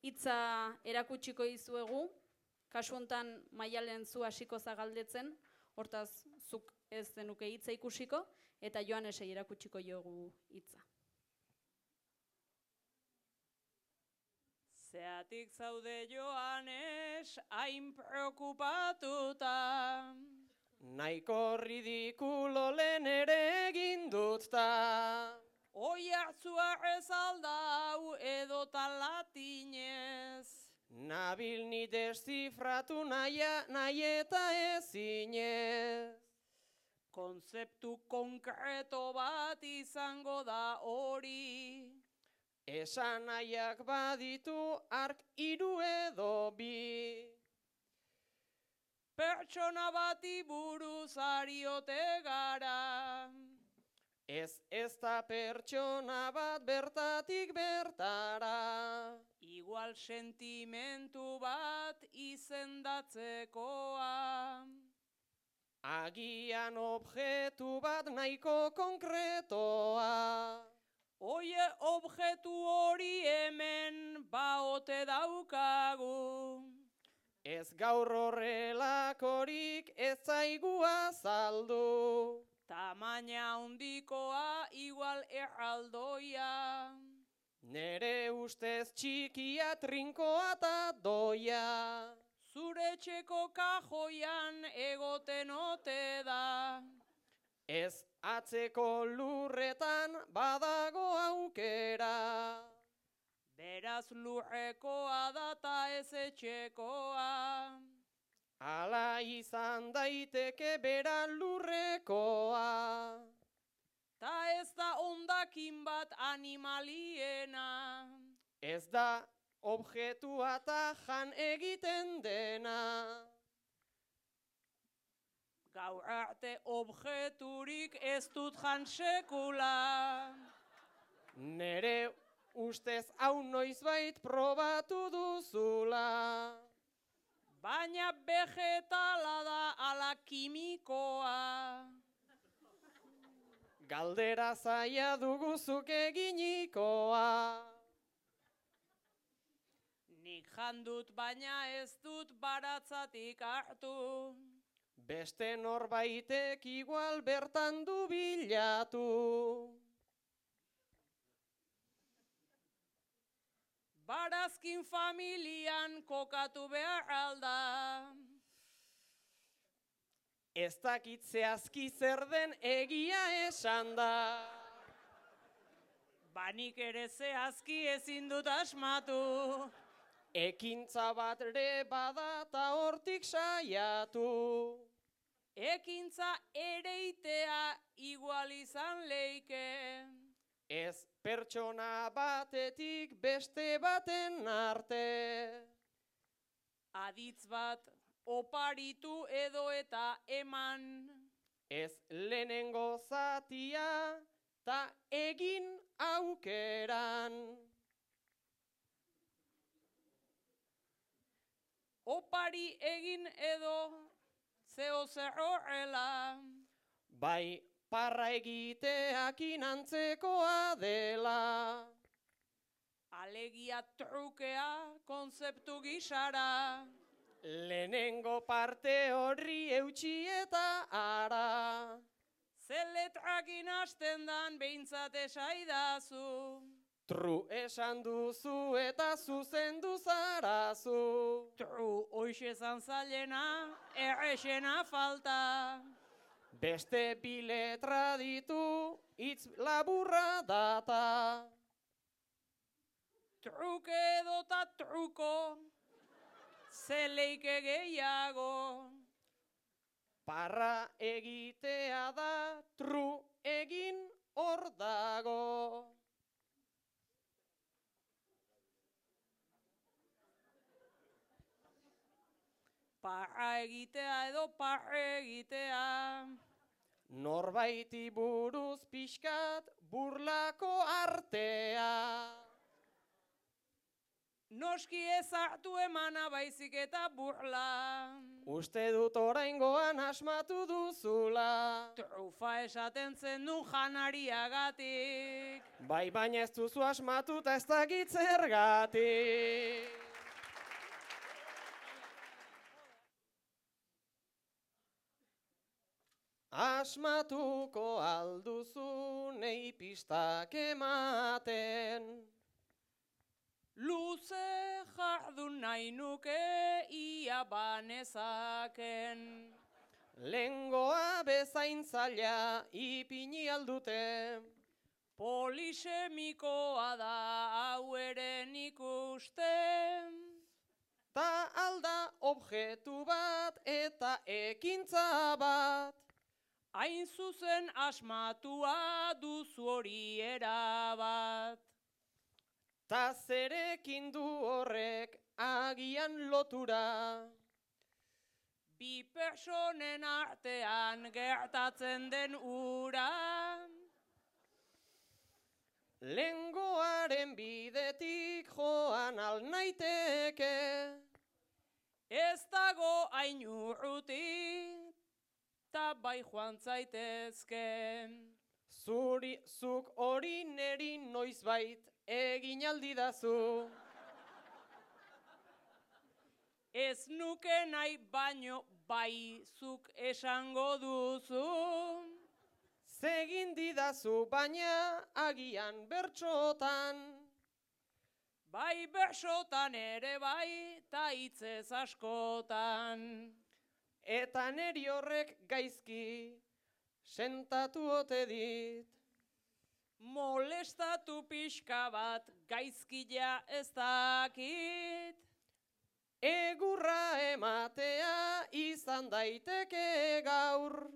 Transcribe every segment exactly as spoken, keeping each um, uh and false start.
hitza erakutsiko dizuegu, kasu hontan Maialen zu hasiko zagaldetzen, hortaz zuk ez zenuke hitza ikusiko, eta Joanesei erakutsiko jogu hitza. Zeatik zaude Joanes, hain preokupatuta. Naiko ridikulo lehen ere egin dut ta. Oi hartzua ez aldau edota latinez. Nabil ni deszifratu naia, nahi eta ezinez. Konzeptu konkreto bat izango da hori. Esan nahiak baditu ark hiru edo bi. Pertsona bati buruz ariote gara. Ez ez da pertsona bat bertatik bertara. Igual sentimentu bat izendatzekoa. Agian objektu bat nahiko konkretoa. Oie objektu hori hemen baote daukagu. Ez gaur horrelakorik ez zaigu azaldu. Tamaina handikoa igual erraldoia. Nere ustez txikia trinkoa eta doia. Zure etxeko kajoian egoten ote da. Ez atzeko lurretan badago aukera. Beraz lurrekoa data ez etxekoa. Ala izan daiteke bera lurrekoa. Ta ez da hondakin bat animaliena. Ez da objektua eta jan egiten dena. Gaur arte objekturik ez dut jan sekula. Nere ustez hau noizbait probatu duzula. Baina vegetala da ala kimikoa. Galdera zaila duguzuk eginikoa. Nik jandut baina ez dut baratzatik hartu. Beste norbaitek igual bertan du bilatu. Barazkin familian kokatu behar alda. Ez dakit zehazki zer den egia esan da. Banik ere zehazki ezin dut asmatu. Ekintza bat ere bada ta hortik saiatu. Ekintza ereitea igual izan leike. Ez pertsona batetik beste baten arte. Aditz bat oparitu edo eta eman. Ez lehenengo zatia ta egin aukeran. Opari egin edo zeo zer horrela. Bai parra egiteakin antzekoa dela. Alegia trukea konzeptu gisara. Lehenengo parte horri eutxi eta ara. Ze letrakin hasten dan behintzat esaidazu. Tru esan duzu eta zuzendu zarazu. Tru hoxe zan zailena, errexena falta. Beste bi letra ditu, hitz laburra data. Truke edota truko, ze leike gehiago. Parra egitea da, tru egin hor dago. Parra egitea edo parre egitea. Norbaiti buruz pixkat burlako artea. Noski ez hartu emana baizik eta burla. Uste dut oraingoan asmatu duzula. Trufa esaten zen du janariagatik. Bai, baina ez duzu asmatu eta ez dakit zergatik. Asmatuko alduzu nei pistak ematen. Luze jardun nahi nuke ia banezaken. Lengoa bezain zaila ipini aldute. Polisemikoa da hau ere nik uste. Ta alda objektu bat eta ekintza bat. Hain zuzen asmatua duzu hori erabat. Ta zerekin du horrek agian lotura. Bi personen artean gertatzen den ura. Lengoaren bidetik joan al naiteke. Ez dago hain urruti, ta bai joan zaitezke. Zuri, zuk hori neri noizbait egin aldidazu. Ez nuke nahi baino bai zuk esango duzu. Zegin didazu baina agian bertsotan. Bai bersotan ere bai, ta hitzez askotan. Eta neri horrek gaizki sentatu ote dit. Molestatu pixka bat gaizkila ez dakit. Egurra ematea izan daiteke gaur.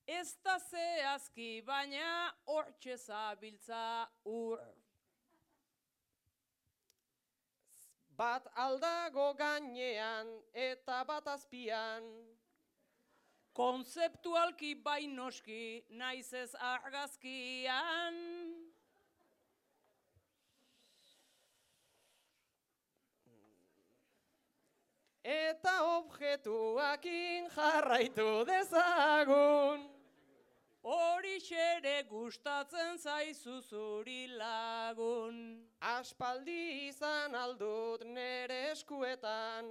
Ez da zehazki baina hortxe zabiltza ur. Bat aldago gainean eta bat azpian. Konzeptualki bai noski naiz ez argazkian. Eta objektuakin jarraitu dezagun. Horixere gustatzen zaizu zuri lagun. Aspaldi izan aldut nere eskuetan.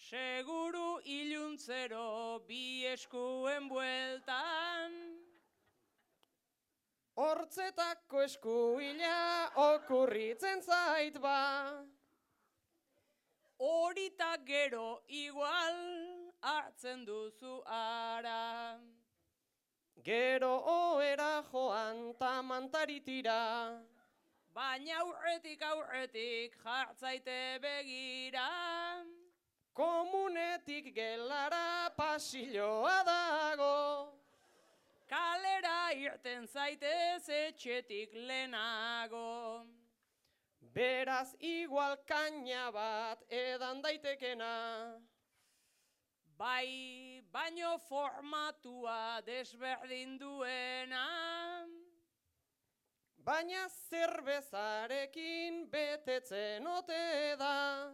Seguru iluntzero bi eskuen bueltan. Hortzetako eskuila okurritzen zait ba. Horita gero igual hartzen duzu ara. Gero oera joan ta mantaritira. Baina aurretik aurretik jartzaite begira. Komunetik gelara pasilloa dago. Kalera irten zaitez etxetik lehenago. Beraz igual kaina bat edan daitekena. Bai, baino formatua desberdin duena. Baina zerbezarekin betetzen ote da.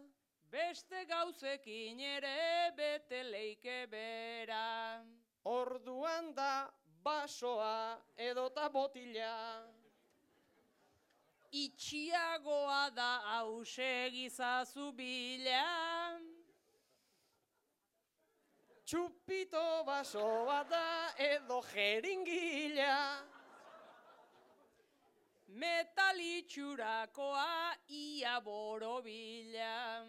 Beste gauzekin ere bete leike bera. Orduan da basoa edota botila. Itxiagoa da hause gizazu bila. Txupito basoa da edo jeringila. Metalitxurakoa ia borobila.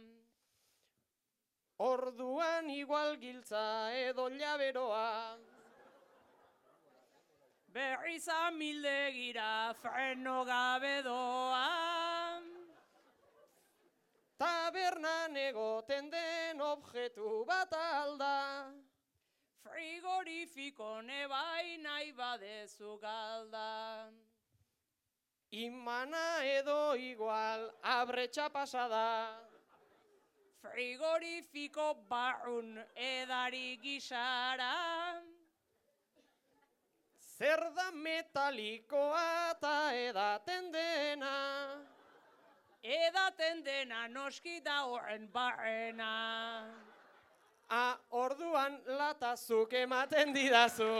Orduan igual giltza edo llaberoa. Berriz amildegira freno gabe doa. Tabernan egoten den objektu bat alda. Frigorifiko nebai nahi badezu galda. Imana edo igual abretxa pasada. Frigorifiko barrun edari gisara. Zer da metalikoa eta edaten dena? Edaten dena noski da horren barrena. A, orduan latazuk ematen didazu.